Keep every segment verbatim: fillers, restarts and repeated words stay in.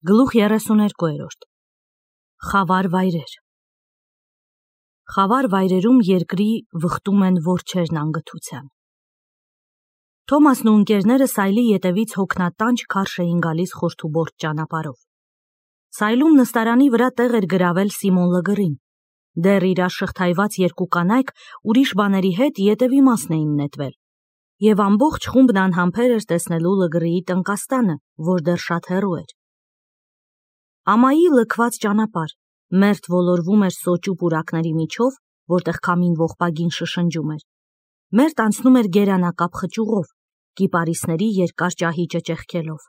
Գլուխ երեսուներկու Խավար վայրեր Խավար վայրերում երկրի վխտում են որջերն անգթության։ Թոմասն ու ընկերները Սայլի ետևից հոգնատանջ քարշ էին գալիս խորթուբորտ ճանապարհով։ Սայլում նստարանի վրա տեղ էր գրավել Սիմոն Լգրին, դեռ իր շղթայված երկու կանայք ուրիշ բաների հետ ետևի մասն էին նետվել, և ամբողջ խումբն անհամբեր էր տեսնելու Լգրիի տնկաստանը, որ դեռ շատ հեռու էր։ Ամայի լքված ճանապարհ, մերթ ոլորվում էր սոճու պուրակների միջով, որտեղ քամին ողբագին շշնջում էր, մերթ անցնում էր գերանակապ խճուղով, կիպարիսների երկար ճահիճը ճեղքելով։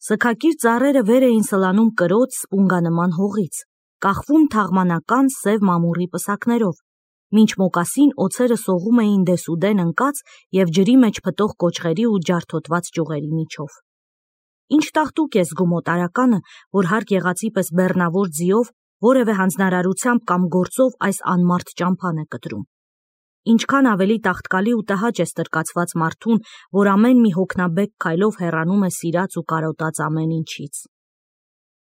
Սգակիր ծառերը վեր էին սլանում կրոծ սպունգանման հողից, կախվում թաղմանական սև մամուռի պսակներով, մինչ մոկասին օձերը սողում էին դեսուդեն ընկած և ջրի մեջ փտող կոճղերի ու ջարդոտված ճյուղերի միջով։ Ինչ տաղտուկ է զգում օտարականը, որ հարկ եղածի պես բեռնավոր ձիով, որևէ հանձնարարությամբ կամ գործով այս անմարդ ճամփան է կտրում։ Ինչքան ավելի տաղտկալի ու տհաճ է ստրկացված մարդուն, որ ամեն մի հոգնաբեկ քայլով հեռանում է սիրած ու կարոտած ամեն ինչից։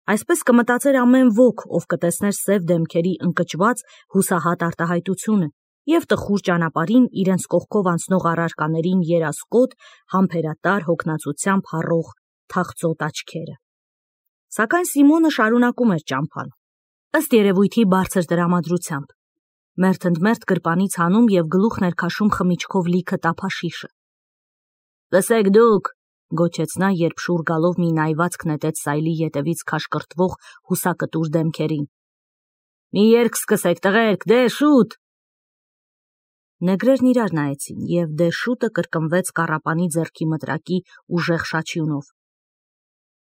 Այսպես կմտածեր ամեն ոք, ով կտեսներ սև դեմքերի ընկճված հուսահատ արտահայտությունը և տխուր ճանապարհին իրենց կողքով անցնող առարկաներին երասկոտ, համբերատար հոգնածությամբ հառող թախծոտ աչքերը։ Սակայն Սիմոնը շարունակում էր ճամփան, ըստ երևույթի բարձր տրամադրությամբ, մերթ ընդ մերթ գրպանից հանում և գլուխն էր քաշում խմիչքով լիքը տափաշիշը։ «Լսեք դուք», գոչեց նա, երբ շուռ գալով մի նայվածք նետեց Սայլի ետևից քաշկրտվող հուսակտուր դեմքերին։ «Մի երգ սկսեք, տղերք, դե շուտ»։ Նեգրերն իրար նայեցին, և դե շուտը կրկնվեց կառապանի ձեռքի մտրակի ուժեղ շաչյունով։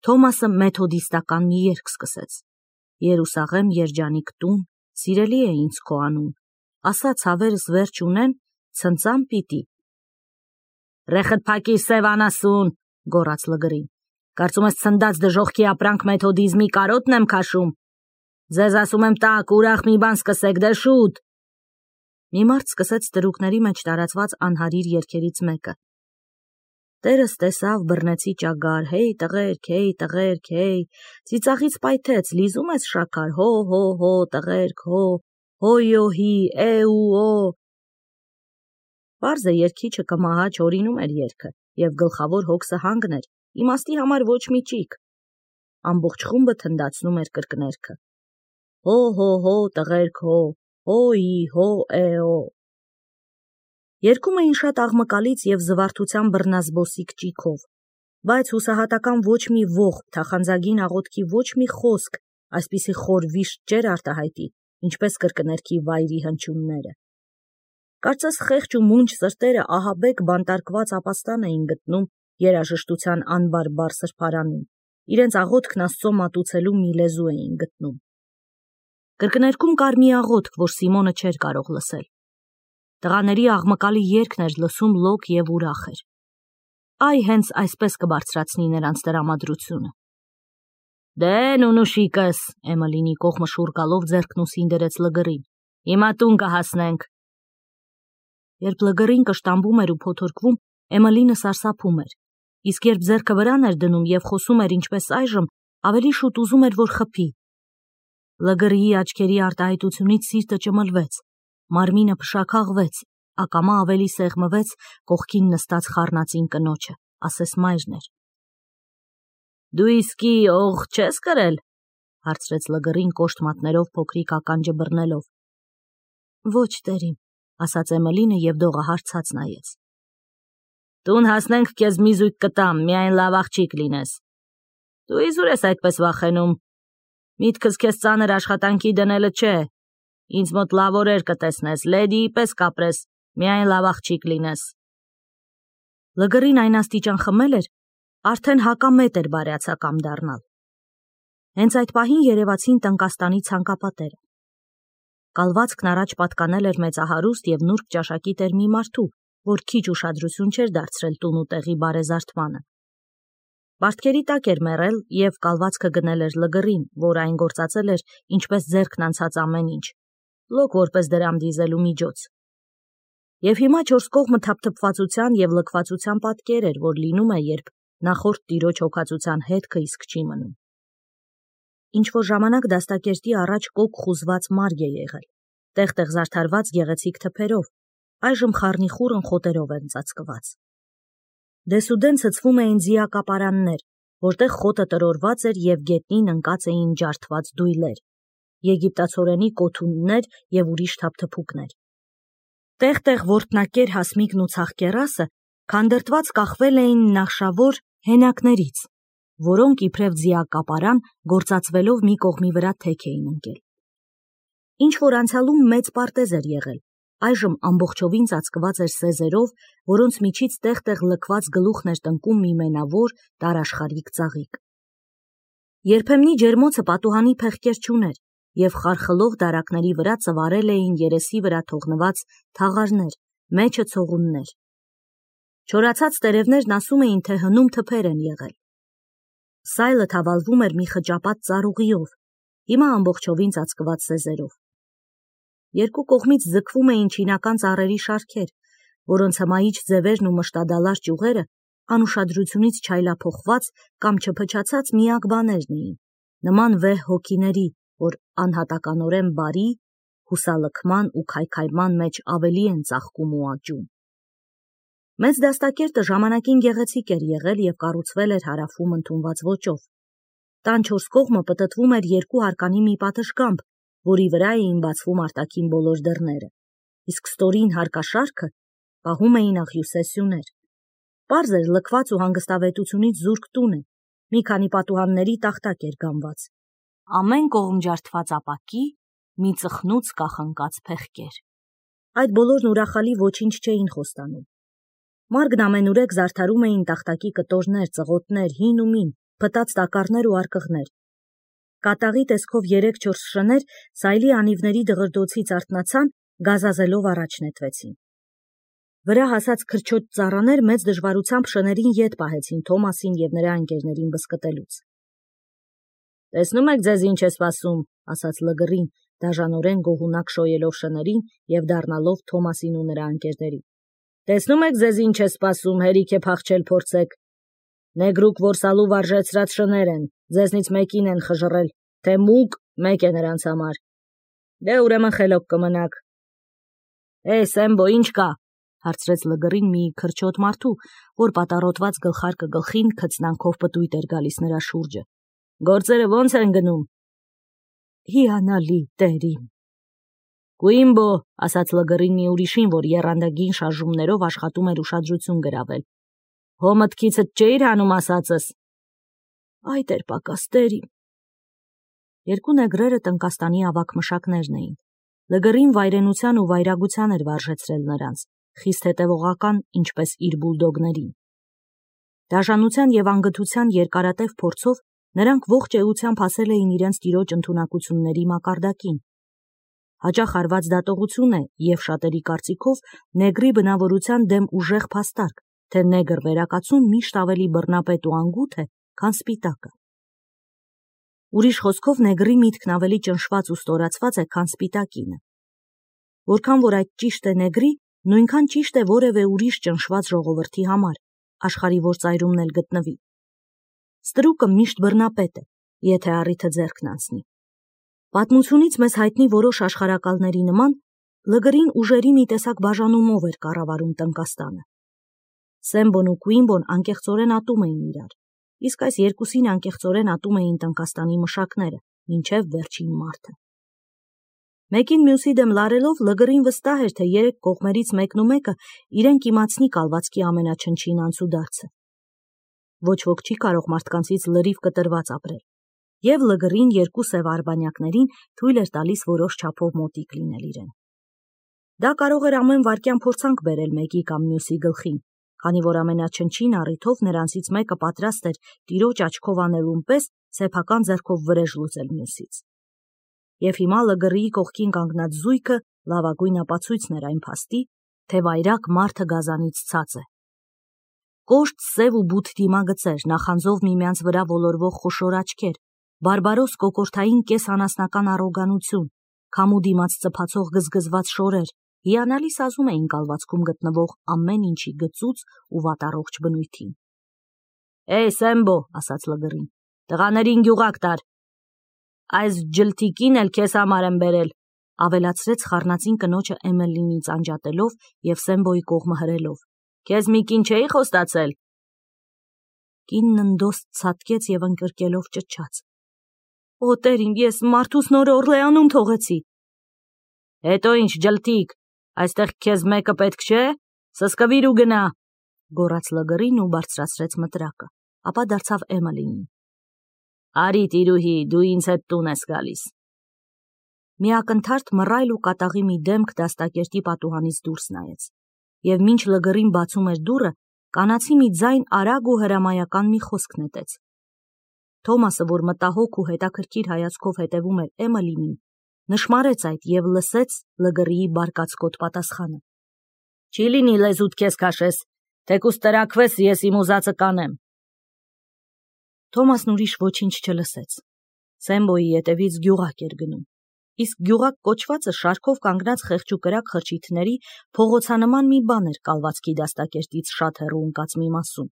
Թոմասը մեթոդիստական մի երգ սկսեց. «Երուսաղեմ երջանիկ տուն, սիրելի է ինձ քո անուն, ասա ցավերս վերջ ունեն, ցնծամ պիտի»։ «Ռեխդ փակիր, սև անասուն», գոռաց Լգրին, «կարծում ես ցնդած դժոխքի ապրանք մեթոդիզմի կարոտն եմ քաշում։ Ձեզ ասում եմ տաք, ուրախ մի բան սկսեք, դե շուտ»։ Մի մարդ սկսեց ստրուկների մեջ տարածված անհարիր երգերից մեկը. «Տերս տեսավ բռնեցի ճագար, հեյ տղերք, հեյ տղերք, հեյ, ծիծաղից պայթեց, լիզում ես շաքար, հո հո հո տղերք, հո, հոյո հի, է ու օ»։ Պարզ է, երգիչը կմահաճ հորինում էր երգը, և գլխավոր հոգսը հանգն էր, իմաստի համար ոչ մի ճիգ։ Ամբողջ խումբը թնդացնում էր կրկներգը. «Հո հո հո տղերք, հո, հոյի, հո է օ»։ Երգում էին շատ աղմկալից և զվարթության բռնազբոսիկ ճիգով, բայց հուսահատական ոչ մի ողբ, թախանձագին աղոթքի ոչ մի խոսք այսպիսի խոր վիշտ չէր արտահայտի, ինչպես կրկներգի վայրի հնչյունները։ Կարծես խեղճ ու մունջ սրտերը ահաբեկ բանտարկված ապաստան էին գտնում երաժշտության անբարբար սրբարանում, իրենց աղոթքն Աստծո մատուցելու մի լեզու էին գտնում։ Կրկներգում կար մի աղոթք, որ Սիմոնը չէր կարող լսել։ Տղաների աղմկալի երգն էր լսում լոկ և ուրախ էր։ Այ հենց այսպես կբարձրացնի նրանց տրամադրությունը։ «Դե նունուշիկս», Էմելինի կողմը շուռ գալով ձեռքն ուսին դրեց Լգրին, «հիմա տուն կհասնենք»։ Երբ Լգրին կշտամբում էր ու փոթորկվում, Էմելինը սարսափում էր, իսկ երբ ձեռքը վրան էր դնում և խոսում էր ինչպես այժմ, ավելի շուտ ուզում էր, որ խփի։ Լգրիի աչքերի արտահայտությունից սիրտը ճմլվեց, մարմինը փշաքաղվեց, ակամա ավելի սեղմվեց կողքին նստած խառնածին կնոջը, ասես մայրն էր։ «Դու իսկի օղ չես կրել», հարցրեց Լգրին կոշտ մատներով փոքրիկ ականջը բռնելով։ «Ոչ, տերին», ասաց Էմելինը և դողահար ցած նայեց։ «Տուն հասնենք քեզ մի զույգ կտամ, միայն լավ աղջիկ լինես։ Դու իզուր ես այդպես վախենում։ Միտքս քեզ ծանր աշխատանքի դնելը չէ, ինձ մոտ լավ օրեր կտեսնես, լեդիի պես կապրես, միայն լավ աղջիկ լինես»։ Լգրին այն աստիճան խմել էր, արդեն հակամետ էր բարյացակամ դառնալ։ Հենց այդ պահին երևացին տնկաստանի ցանկապատերը։ Կալվածքն առաջ պատկանել էր մեծահարուստ և նուրբ ճաշակի տեր մի մարդու, որ քիչ ուշադրություն չէր դարձրել տուն ու տեղի բարեզարդմանը։ Պարտքերի տակ էր մեռել և կալվածքը գնել էր Լգրին, որ այն գործածել էր ինչպես ձեռքն անցած ամեն ինչ, լոկ որպես դրամ դիզելու միջոց։ Եվ հիմա չորս կողմը թափթփվածության և լքվածության պատկեր էր, որ լինում է, երբ նախորդ տիրոջ հոգածության հետքը իսկ չի մնում։ ինչ-որ ժամանակ դաստակերտի առաջ կոկ խուզված մարգ է եղել, տեղ-տեղ զարդարված գեղեցիկ թփերով, այժմ խառնիխուռն խոտերով են ծածկված։ Դեսուդեն ցցվում էին ձիակապարաններ, որտեղ խոտը տրորված էր և գետնին ընկած էին ջարդված դույլեր, եգիպտացորենի կոթուններ և ուրիշ թափթփուկներ։ Տեղ-տեղ որտնակեր հասմիկն ու ցաղկեռասը քանդրտված կախվել էին նախշավոր հենակներից, որոնք իբրև ձիակապարան գործածվելով մի կողմի վրա թեք էին ընկել։ Ինչ-որ անցյալում մեծ պարտեզ էր եղել, այժմ ամբողջովին ծածկված էր սեզերով, որոնց միջից տեղ-տեղ լքված գլուխն էր տնկում մի մենավոր, տարաշխարհիկ ծաղիկ։ Երբեմնի ջերմոցը պատուհանի փեղկեր չուներ, և խարխլող դարակների վրա ծվարել էին երեսի վրա թողնված թաղարներ, մեջը ցողուններ։ Չորացած տերևներն ասում էին, թե հնում թփեր են եղել։ Սայլը թավալվում էր մի խճապատ ծառուղիով, հիմա ամբողջովին ծածկված սեզերով։ Երկու կողմից ձգվում էին չինական ծառերի շարքեր, որոնց հմայիչ ձևերն ու մշտադալար ճյուղերը անուշադրությունից չայլափոխված կամ չփչացած միակ բաներն էին, նման վեհ հոգիների, որ անհատականորեն բարի, հուսալքման ու քայքայման մեջ ավելի են ծաղկում ու աճում։ Մեծ դաստակերտը ժամանակին գեղեցիկ էր եղել և կառուցվել էր հարավում ընդունված ոճով։ Տան չորս կողմը պտտվում էր երկու հարկանի մի պատշգամբ, որի վրա էին բացվում արտաքին բոլոր դռները, իսկ ստորին հարկաշարքը պահում էին աղյուսե սյուներ։ Պարզ էր լքված ու հանգստավետությունից զուրկ տուն է, մի քանի պատուհանների տախտակ էր գանված, ամեն կողմ ջարդված ապակի, մի ծխնուց կախնկած փեղկեր։ Այդ բոլորն ուրախալի ոչինչ չէին խոստանում։ Մարգն ամենուրեք զարդարում էին տախտակի կտորներ, ծղոտներ, հին ու մին, փտած տակառներ ու արկղներ։ Կատաղի տեսքով երեք-չորս շներ սայլի անիվների դղրդոցից արթնացան, գազազելով առաջ նետվեցին։ Վրա հասած քրչոտ ծառաներ մեծ դժվարությամբ շներին ետ պահեցին Թոմասին և նրա ընկերներին բզկտելուց։ «Տեսնում եք ձեզ ինչ է սպասում», ասաց Լգռին, դաժանորեն գոհունակ շոյելով շներին և դառնալով Թոմասին ու նրա ընկերներին։ «Տեսնում եք ձեզ ինչ է սպասում, հերիք է փախչել փորձեք։ Նեգրուկ որսալու վարժեցրած շներ են, ձեզնից մեկին են խժռել, թե մուկ, մեկ է նրանց համար։ Դե ուրեմն խելոք կմնաք»։ «Է, Սեմբո, ինչ կա», հարցրեց Լգռին մի քրչոտ մարդու, որ պատառոտված գլխարկը գլխին քծնանքով պտույտ էր գալիս նրա շուրջը։ «Գործերը ո՞նց են գնում»։ «Հիանալի, տերին»։ «Կուիմբո», ասաց Լգռին մի ուրիշին, որ եռանդագին շարժումներով աշխատում էր ուշադրություն գրավել։ «Հո մտքիցդ չէիր հանում ասածս»։ «Այդ էր պակաս, տերին»։ Երկու նեգրերը տնկաստանի ավագ մշակներն էին։ Լգռին վայրենության ու վայրագության էր վարժեցրել նրանց, խիստ հետևողական, ինչպես իր բուլդոգներին։ Դաժանության և անգթության երկարատև փորձով նրանք ողջ էությամբ հասել էին իրենց տիրոջ ընդունակությունների մակարդակին։ Հաճախ արված դատողություն է և շատերի կարծիքով նեգրի բնավորության դեմ ուժեղ փաստարկ, թե նեգր վերակացուն միշտ ավելի բռնապետ ու անգութ է, քան սպիտակը։ Ուրիշ խոսքով նեգրի միտքն ավելի ճնշված ու ստորացված է, քան սպիտակինը։ Որքան որ այդ ճիշտ է նեգրի, նույնքան ճիշտ է որևէ ուրիշ ճնշված ժողովրդի համար, աշխարհի որ ծայրումն էլ գտնվի։ Ստրուկը միշտ բռնապետ է, եթե առիթը ձեռքն անցնի։ Պատմությունից մեզ հայտնի որոշ աշխարհակալների նման, Լգռին ուժերի մի տեսակ բաժանումով էր կառավարում տնկաստանը։ Սեմբոն ու Կուիմբոն անկեղծորեն ատում էին իրար, իսկ այս երկուսին անկեղծորեն ատում էին տնկաստանի մշակները, մինչև վերջին մարդը։ Մեկին մյուսի դեմ լարելով Լգռին վստահ էր, թե երեք կողմերից մեկն ու մեկը իրեն կիմացնի կալվածքի ամենաչնչին անցուդարձը։ Ոչ ոք չի կարող մարդկանցից լրիվ կտրված ապրել, և Լգռին երկու սև արբանյակներին թույլ էր տալիս որոշ չափով մոտիկ լինել իրեն։ Դա կարող էր ամեն վայրկյան փորձանք բերել մեկի կամ մյուսի գլխին, քանի որ ամենաչնչին առիթով նրանցից մեկը պատրաստ էր տիրոջ աչքով անելուն պես սեփական ձեռքով վրեժ լուծել մյուսից։ Եվ հիմա Լգռիի կողքին կանգնած զույգը լավագույն ապացույցն էր այն փաստի, թե վայրակ մարդը գազանից ցած է։ Կոշտ սև ու բութ դիմագծեր, նախանձով միմյանց վրա ոլորվող խոշոր աչքեր, բարբարոս կոկորդային կեսանասնական առոգանություն, քամու դիմաց ծփացող գզգզված շորեր, հիանալի սազում էին կալվածքում գտնվող ամեն ինչի գծուծ ու վատառողջ բնույթին։ «Է, Սեմբո», ասաց Լգռին, «տղաներին գյուղակ տար»։ Այս ջլթիկին էլ քեզ համար եմ բերել, ավելացրեց խառնածին կնոջը Էմելինից անջատելով և Սեմբոյի կողմը հրելով։ Քեզ մի կին չէի խոստացել։ Կինն ընդոստ ցատկեց և ընկրկելով ճչաց. Օ տերին, ես մարդուս նոր Օրլեանում թողեցի։ Հետո ինչ ջլթիկ, այստեղ քեզ մեկը պետք չէ, սսկվիր ու գնա, գոռաց լգռին ու բարձրացրեց մտրակը, ապա դարձավ Էմելինին։ Արի տիրուհի, դու ինձ հետ տուն ես գալիս։ Միակնթարթ մռայլ ու կատաղի մի դեմք դաստակերտի պատուհանից դուրս նայեց, և մինչ լգռին բացում էր դուռը, կանացի մի ձայն արագ ու հրամայական մի խոսք նետեց։ Թոմասը, որ մտահոգ ու հետաքրքիր հայացքով հետևում էր Էմելինին, նշմարեց այդ և լսեց լգռիի բարկացկոտ պատասխանը. Չի լինի լեզուդ քեզ քաշես, թեկուզ տրաքվես, ես իմ ուզածը կանեմ։ Թոմասն ուրիշ ոչինչ չլսեց։ Սեմբոյի ետևից գյուղակ էր գնում, իսկ գյուղակ կոչվածը շարքով կանգնած խեղճուկրակ խրճիթների փողոցանման մի բան էր կալվածքի դաստակերտից շատ հեռու ընկած մի մասում։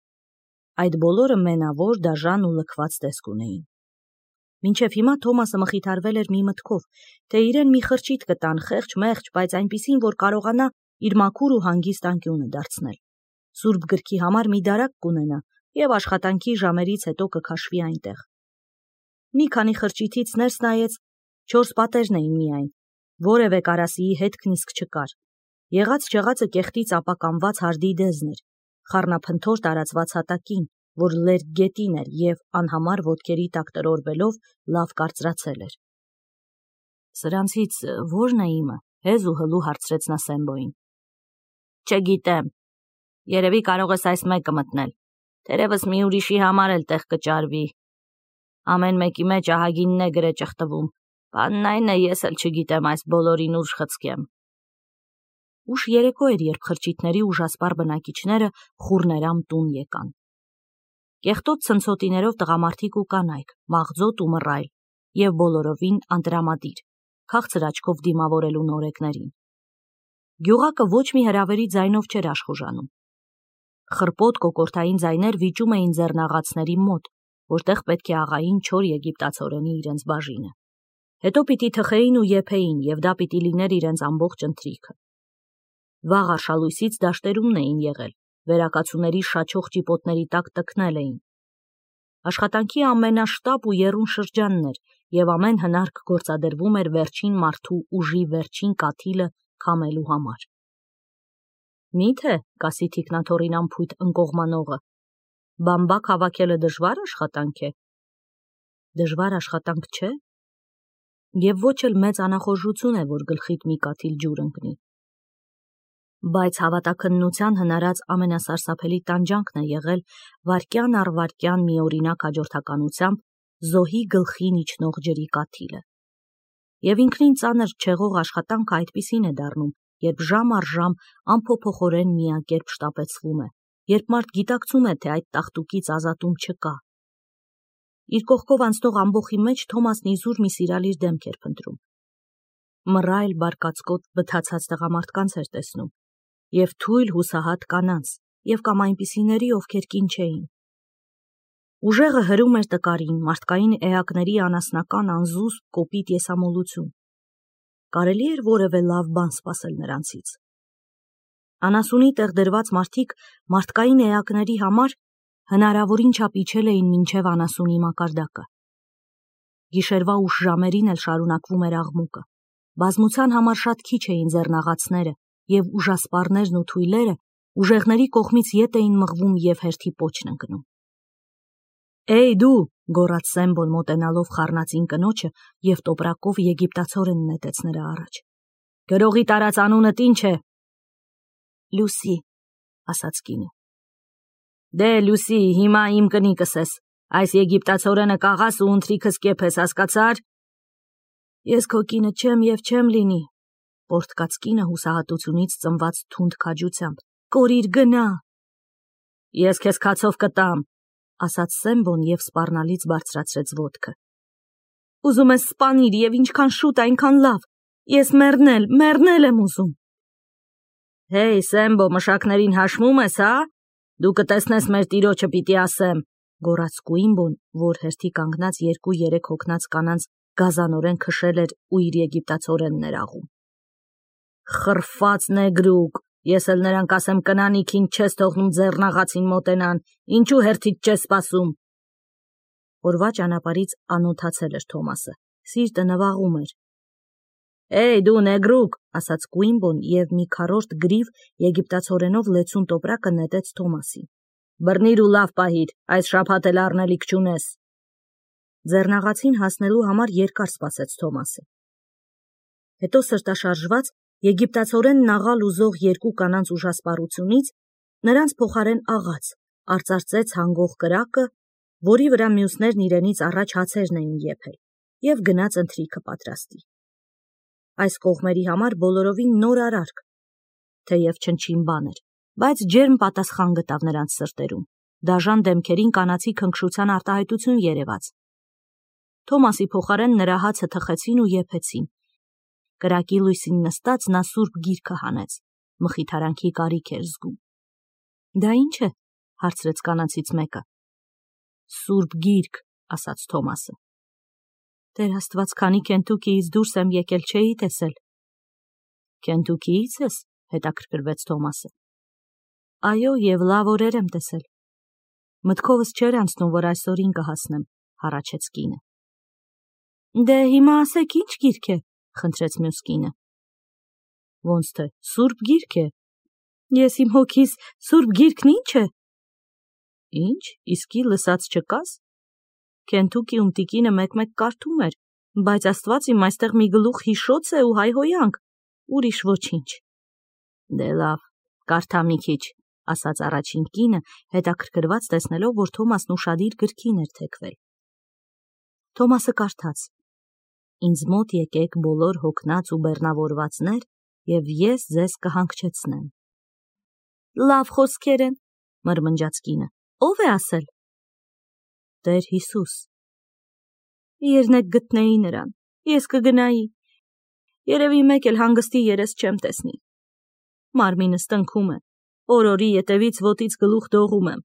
Այդ բոլորը մենավոր, դաժան ու լքված տեսք ունեին։ Մինչև հիմա Թոմասը մխիթարվել էր մի մտքով, թե իրեն մի խրճիթ կտան խեղճ-մեղճ, բայց այնպիսին, որ կարողանա իր մաքուր ու հանգիստ անկյունը դարձնել։ Սուրբ գրքի համար մի դարակ կունենա և աշխատանքի ժամերից հետո կքաշվի այնտեղ։ Մի քանի խրճիթից ներս նայեց, չորս պատերն էին միայն, որևէ կարասիի հետքն իսկ չկար։ Եղած-չեղածը կեղտից ապականված հարդի դեզն էր, խառնափնթոր տարածված հատակին, որ լերկ գետին էր և անհամար ոտքերի տակ տրորվելով լավ կարծրացել էր։ Սրանցից ո՞րն է իմը, հեզ ու հլու հարցրեց նա Սեմբոյին։ Չգիտեմ, երևի կարող ես այս մեկը մտնել, թերևս մի ուրիշի համար էլ տեղ կճարվի։ Ամեն մեկի մեջ ահագինն է գրե ճխտվում, բանն այն է, ես էլ չգիտեմ այս բոլորին ուժ խցկեմ։ Ուշ երեկո էր, երբ խրճիթների ուժասպառ բնակիչները խուռներամ տուն եկան։ Կեղտոտ ցնցոտիներով տղամարդիկ ու կանայք, մաղձոտ ու մռայլ, և բոլորովին անտրամադիր, քաղցր աչքով դիմավորելու նորեկներին։ Գյուղակը ոչ մի հրավերի ձայնով չէր աշխուժանում։ Խռպոտ կոկորդային ձայներ վիճում էին ձեռնաղացների մոտ, որտեղ պետք է աղային չոր եգիպտացորենի իրենց բաժինը։ Հետո պիտի թխեին ու եփեին, և դա պիտի լիներ իրենց ամբողջ ընթրիքը։ Վաղ արշալույսից դաշտերումն էին եղել, վերակացուների շաչող ճիպոտների տակ տքնել էին։ Աշխատանքի ամենաշտապ ու եռուն շրջանն էր, և ամեն հնարք գործադրվում էր վերջին մարդու ուժի վերջին կաթիլը քամելու համար։ Մի՞թե, կասի թիկնաթոռին անփույթ ընկողմանողը, բամբակ հավաքելը դժվար աշխատանք է։ Դժվար աշխատանք չէ, և ոչ էլ մեծ անախորժություն է, որ գլխիդ մի կաթիլ ջուր ընկնի։ Բայց հավատաքննության հնարած ամենասարսափելի տանջանքն է եղել վայրկյան առ վայրկյան միօրինակ հաջորդականությամբ զոհի գլխին իջնող ջրի կաթիլը։ Եվ ինքնին ծանր չեղող աշխատանքը այդպիսին է դառնում, երբ ժամ առ ժամ անփոփոխորեն միակերպ շտապեցվում է, երբ մարդ գիտակցում է, թե այդ տաղտուկից ազատում չկա։ Իր կողքով անցնող ամբոխի մեջ Թոմասն իզուր մի սիրալիր դեմք էր փնտրում։ Մռայլ բարկացկոտ բթացած տղամարդկանց էր տեսնում, և թույլ հուսահատ կանանց, և կամ այնպիսիների, ովքեր կին չէին։ Ուժեղը հրում էր տկարին, մարդկային էակների անասնական անզուսպ կոպիտ եսամոլություն։ Կարելի էր որևէ լավ բան սպասել նրանցից։ Անասունի տեղ դրված մարդիկ մարդկային էակների համար հնարավորին չափ իջել էին մինչև անասունի մակարդակը։ Գիշերվա ուշ ժամերին էլ շարունակվում էր աղմուկը։ Բազմության համար շատ քիչ էին ձեռնաղացները, և ուժասպառներն ու թույլերը ուժեղների կողմից ետ էին մղվում և հերթի պոչն ընկնում։ Էй դու, գոռաց Սեմբոն մոտենալով խառնածին կնոջը և տոպրակով եգիպտացորեն նետեց նրա առաջ։ Գրողի տարած անունդ ինչ է։ Լուսի, ասաց կինը։ Դե Լուսի, հիմա իմ կնիկս ես, այս եգիպտացորենը կաղաս ու ընթրիքս կեփես, հասկացար։ Ես քո կինը չեմ և չեմ լինի, պոռթկաց կինը հուսահատությունից ծնված թունդ քաջությամբ։ Կորիր, գնա։ Ես քեզ քացով կտամ, ասաց Սեմբոն և սպառնալից բարձրացրեց ոտքը։ Ուզում ես սպանիր և ինչքան շուտ, այնքան լավ։ Ես մեռնել, մեռնել եմ ուզում։ Հեյ, Սեմբո, մշակներին հաշմում ես, հա։ Դու կտեսնես մեր տիրոջը պիտի ասեմ, գոռաց Կուիմբոն, որ հերթի կանգնած երկու-երեք հոգնած կանանց գազանորեն քշել էր ու իր եգիպտացորենն էր աղում։ Խրֆած նեգրուկ, ես էլ նրանք ասեմ կնանիքին չես թողնում ձեռնաղացին մոտենան, ինչու հերթից չես սպասում։ Օրվա ճանապարհից անօթացել էր Թոմասը, սիրտը նվաղում էր։ Էй դու նեգրուկ, ասաց Կուիմբոն և մի քառորդ գրիվ եգիպտացորենով լեցուն տոպրակը նետեց Թոմասին։ Բռնիր ու լավ պահիր, այս շաբաթ էլ առնելիք չունես։ Ձեռնաղացին հասնելու համար երկար սպասեց Թոմասը։ Հետո սրտաշարժված եգիպտացորենն աղալ ուզող երկու կանանց ուժասպառությունից նրանց փոխարեն աղաց, արծարծեց հանգող կրակը, որի վրա մյուսներն իրենից առաջ հացերն էին եփել, և գնաց ընթրիքը պատրաստի։ Այս կողմերի համար բոլորովին նոր արարք, թեև չնչին բան էր, բայց ջերմ պատասխան գտավ նրանց սրտերում, դաժան դեմքերին կանացի քնքշության արտահայտություն երևաց։ Թոմասի փոխարեն նրա հացը թխեցին ու եփեցին։ Կրակի լույսին նստած նա սուրբ գիրքը հանեց, մխիթարանքի կարիք էր զգում։ Դա ի՞նչ է, հարցրեց կանանցից մեկը։ Սուրբ գիրք, ասաց Թոմասը։ Տեր Աստված, քանի Քենթուքիից դուրս եմ եկել, չէի տեսել։ Քենթուքիից ես, հետաքրքրվեց Թոմասը։ Այո, և լավ օրեր եմ տեսել։ Մտքովս չէր անցնում, որ այսօրին կհասնեմ, հառաչեց կինը։ Դե հիմա ասեք, ի՞նչ գիրք է, խնդրեց մյուս կինը։ Ոնց թե, սուրբ գիրք է։ Ես իմ հոգիս սուրբ գիրքն ի՞նչ է։ Ինչ, իսկի լսած չկաս։ Քենթուքիում տիկինը մեկ-մեկ կարդում էր, բայց Աստված իմ այստեղ մի գլուխ հիշոց է ու հայհոյանք, ուրիշ ոչինչ։ Դե լավ, կարդա մի քիչ, ասաց առաջին կինը, հետաքրքրված տեսնելով, որ Թոմասն ուշադիր գրքին էր թեքվել։ Թոմասը կարդաց. Ինձ մոտ եկեք բոլոր հոգնած ու բեռնավորվածներ, և ես ձեզ կհանգչեցնեմ։ Լավ խոսքեր են, մրմնջաց կինը։ Ո՞վ է ասել։ Տեր Հիսուս։ Երնեք գտնեի նրան, ես կգնայի։ Երևի մեկ էլ հանգստի երես չեմ տեսնի։ Մարմինս տնքում է, օրորի ետևից ոտից գլուխ դողում եմ։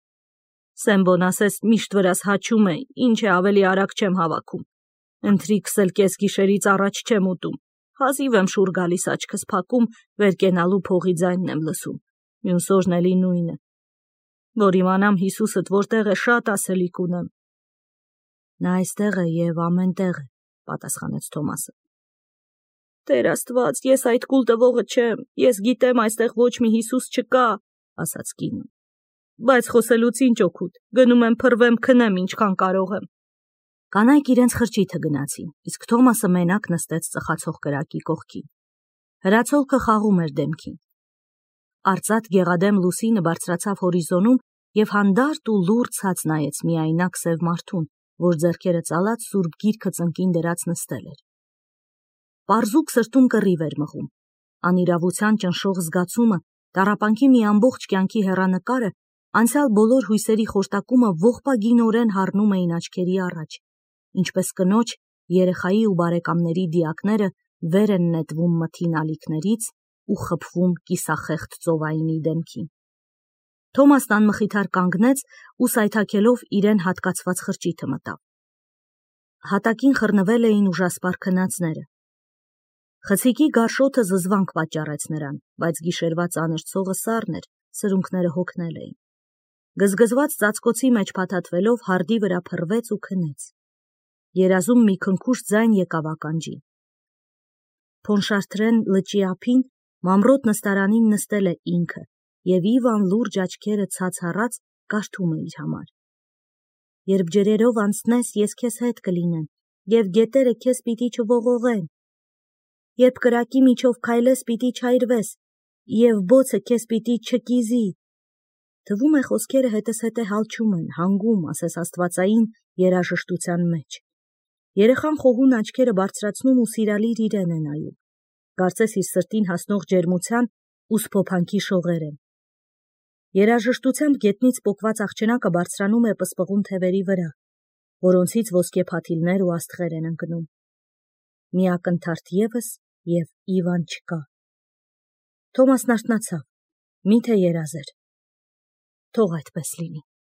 Սեմբոն ասես միշտ վրաս հաչում է, ինչ է ավելի արագ չեմ հավաքում։ Ընթրիքս էլ կես գիշերից առաջ չեմ ուտում, հազիվ եմ շուռ գալիս աչքս փակում, վեր կենալու փողի ձայնն եմ լսում, մյուս օրն էլի նույնը, որ իմանամ Հիսուսդ որտեղ է, շատ ասելիք ունեմ։ Նա այստեղ է և ամեն տեղ է, պատասխանեց Թոմասը։ Տեր Աստված, ես այդ կուլ տվողը չեմ, ես գիտեմ այստեղ ոչ մի Հիսուս չկա, ասաց կինը։ Բայց խոսելուց ինչ օգուտ, գնում եմ փռվեմ քնեմ ինչքան կարող եմ։ Կանայք իրենց խրճիթը գնացին, իսկ Թոմասը մենակ նստեց ծխացող կրակի կողքին։ Հրացոլքը խաղում էր դեմքին։ Արծաթ գեղադեմ լուսինը բարձրացավ հորիզոնում և հանդարտ ու լուռ ցած նայեց միայնակ սև մարդուն, որ ձեռքերը ծալած սուրբ գիրքը ծնկին դրած նստել էր։ Պարզուկ սրտում կռիվ էր մղում։ Անիրավության ճնշող զգացումը, տառապանքի մի ամբողջ կյանքի հեռանկարը, անցյալ բոլոր հույսերի խորտակումը ողբագինորեն հառնում էին աչքերի առաջ, ինչպես կնոջ, երեխայի ու բարեկամների դիակները վեր են նետվում մթին ալիքներից ու խփվում կիսախեղդ ծովայինի դեմքին։ Թոմասն անմխիթար կանգնեց ու սայթաքելով իրեն հատկացված խրճիթը մտավ։ Հատակին խռնվել էին ուժասպառ քնածները։ Խցիկի գարշոթը զզվանք պատճառեց նրան, բայց գիշերվա ծանր ցողը սառն էր, սրունքները հոգնել էին։ Գզգզված ծածկոցի մեջ փաթաթվելով հարդի վրա փռվեց ու քնեց։ Երազում մի քնքուշ ձայն եկավ ականջին։ Փոնշարթրեն լճի ափին մամրոտ նստարանին նստել է ինքը, և Իվան լուրջ աչքերը ցած հառած կարդում է իր համար։ Երբ ջրերով անցնես, ես քեզ հետ կլինեմ, և գետերը քեզ պիտի չողողեն։ Երբ կրակի միջով քայլես, պիտի չայրվես, և բոցը քեզ պիտի չկիզի։ Թվում է խոսքերը հետզհետե հալչում են, հանգում, ասես աստվածային երաժշտության մեջ։ Երեխան խոհուն աչքերը բարձրացնում ու սիրալիր իրեն է նայում, կարծես իր սրտին հասնող ջերմության ու սփոփանքի շողեր են։ Երաժշտությամբ գետնից պոկված աղջնակը բարձրանում է պսպղուն թևերի վրա, որոնցից ոսկե փաթիլներ ու աստղեր են ընկնում։ Մի ակնթարթ ևս և Իվան չկա։ Թոմասն արթնացավ, միթե երազ էր։ Թող այդպես լինի։